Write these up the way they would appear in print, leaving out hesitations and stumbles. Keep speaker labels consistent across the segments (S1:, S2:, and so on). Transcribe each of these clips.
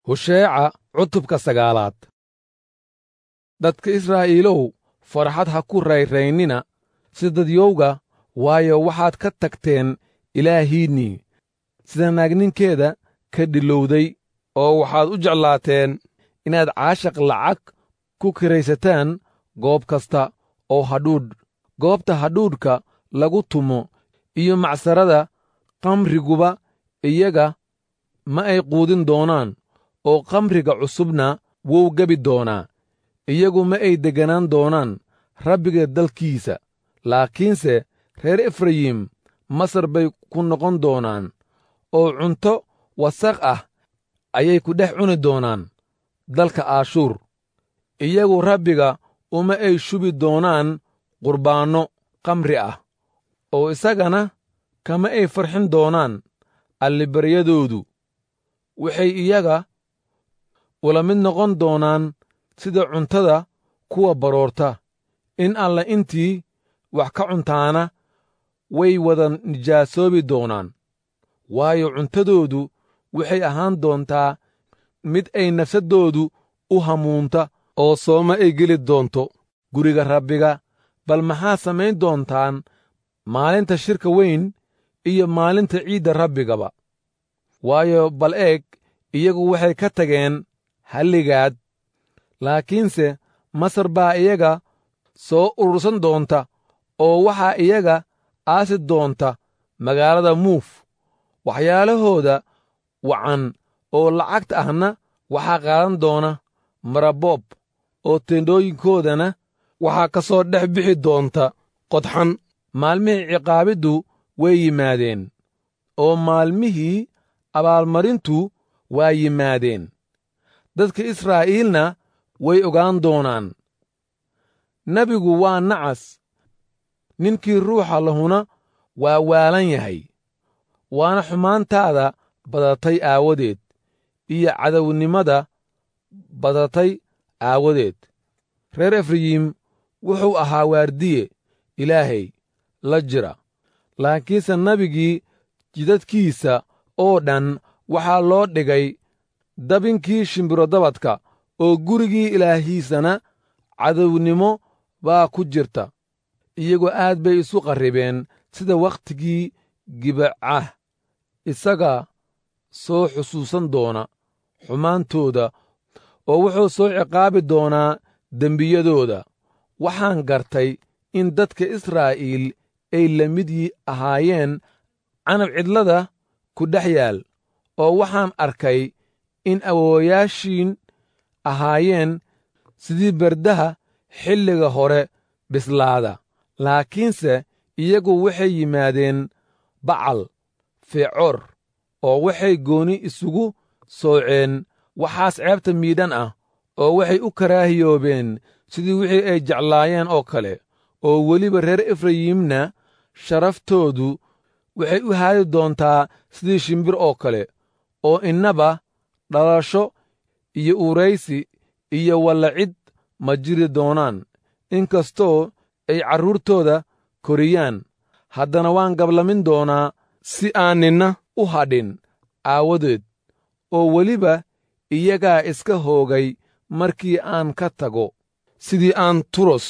S1: Husheeca cutubka sagaalaad. Dadka Israa'iilow, farxad ha ku rayraynina sida dadyowga, waayo, waxaad ka tagteen Ilaahiinnii sida naagninkeeda ka dhilowday, oo waxaad u jeclaateen inaad caashaq lacag ku kiraysataan goob kasta oo hadhuudh, goobta hadhuudhka lagu tumo iyo macsarada khamriguba iyaga ma ay quudin doonaan, oo khamriga cusubna wuu gebi doonaa. Iyagu ma ay degganaan doonaan Rabbiga dalkiisa, laakiinse reer Efrayim Masar bay ku noqon doonaan, oo cunto wasakh ah ayay ku dhex cuni doonaan dalka Aashuur. Iyagu Rabbiga uma ay shubi doonaan qurbaanno khamri ah, oo isagana kama ay farxin doonaan allibaryadoodu. Waxay iyaga ula mid noqon doonaan sida cuntada kuwa baroorta, in alla intii wax ka cuntaana way wada nijaasoobi doonaan, waayo, cuntadoodu waxay ahaan doontaa mid ay nafsaddoodu u hamuunta, oo sooma ay geli doonto guriga Rabbiga. Bal maxaa samayn doontaan maalinta shirka weyn iyo maalinta ciidda Rabbigaba? Waayo, bal eeg, iyagu waxay ka tageen halligaad, laakiinse Masar baa iyaga soo urursan doonta, oo waxaa iyaga aasi doonta magaalada Muuf. Waxyaalahooda wacan oo lacagta ahna waxaa qaadan doona maraboob, oo teendhooyinkoodana waxaa ka soo dhex bixi doonta qodxan. Maalmihii ciqaabiddu way yimaadeen, oo maalmihii abaalmarintu waa yimaadeen. Dadka Israa'iilna way ogaan doonaan. Nebigu waa nacas, ninkii ruuxa lahuna waa waalan yahay, waana xumaantaada badatay aawadeed iyo cadownimada badatay aawadeed. Reer Efrayim wuxuu ahaa waardiye Ilaahay la jira, laakiinse nebigii jidadkiisa oo dhan waxaa loo dhigay dabinkii shimbirodabadka, oo gurigii Ilaahiisana cadownimo baa ku jirta. Iyagu aad bay isu qarribeen sida wakhtigii Gibecah. Isagaa soo xusuusan doona xumaantooda, oo wuxuu soo ciqaabi doonaa dembiyadooda. Waxaan gartay in dadka Israa'iil ay la mid ahaayeen canab cidlada ku dhex yaal, oo waxaan arkay in awoowayaashiin ahaayeen sidii berdaha xilliga hore bislaada, laakiinse iyagu waxay yimaadeen Bacal Fecoor, oo waxay gooni isugu sooceen waxaas ceebta miidhan ah, oo waxay u karaahiyoobeen sidii wixii ay jeclaayeen oo kale. Oo weliba reer Efrayimna sharaftoodu waxay u haadi doontaa sidii shimbir oo kale, oo innaba dhalasho iyo uuraysi iyo wallacid ma jiri doonaan. Inkastoo ay carruurtooda koriyaan, haddana waan gablamin doonaa si aan ninna u hadhin aawadeed, oo weliba iyagaa iska hoogay markii aan ka tago. Sidii aan Turos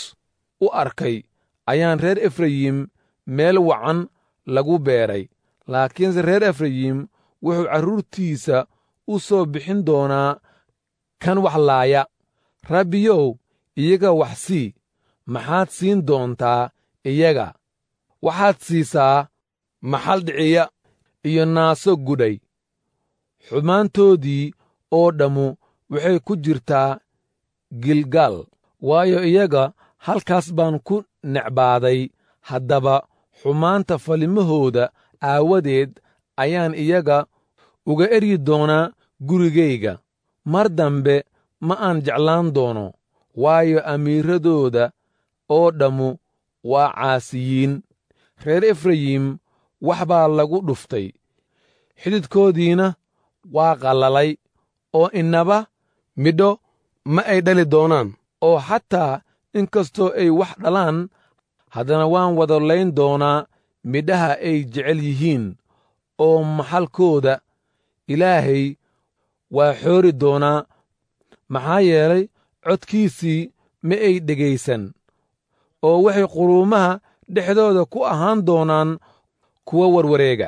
S1: u arkay ayaan reer Efrayim meel wacan lagu beeray, laakiinse reer Efrayim wuxuu carruurtiisa u soo bixin doonaa kan wax laaya. Rabbiyow, iyaga wax sii. Maxaad siin doontaa iyaga? Waxaad siisaa maxal dhiciya iyo naaso gudhay. Xumaantoodii oo dhammu waxay ku jirtaa Gilgaal, waayo, iyaga halkaas baan ku necbaaday. Haddaba xumaanta falimahooda aawadeed ayaan iyaga uga eryi doonaa gurigayga. Mar dambe ma aan jeclaan doono, waayo, amiiradooda oo dhammu waa caasiyiin. Reer Efrayim wax baa lagu dhuftay, xididkoodiina waa qallalay, oo innaba midho ma ay dhali doonaan. Oo xataa inkastoo ay wax dhalaan, haddana waan wada layn doonaa midhaha ay jecel yihiin, oo maxalkooda Ilaahay waa xoori doonaa, maxaa yeelay codkiisii ma ay dhegaysan, oo waxay quruumaha dhexdooda ku ahaan doonaan kuwa warwareega.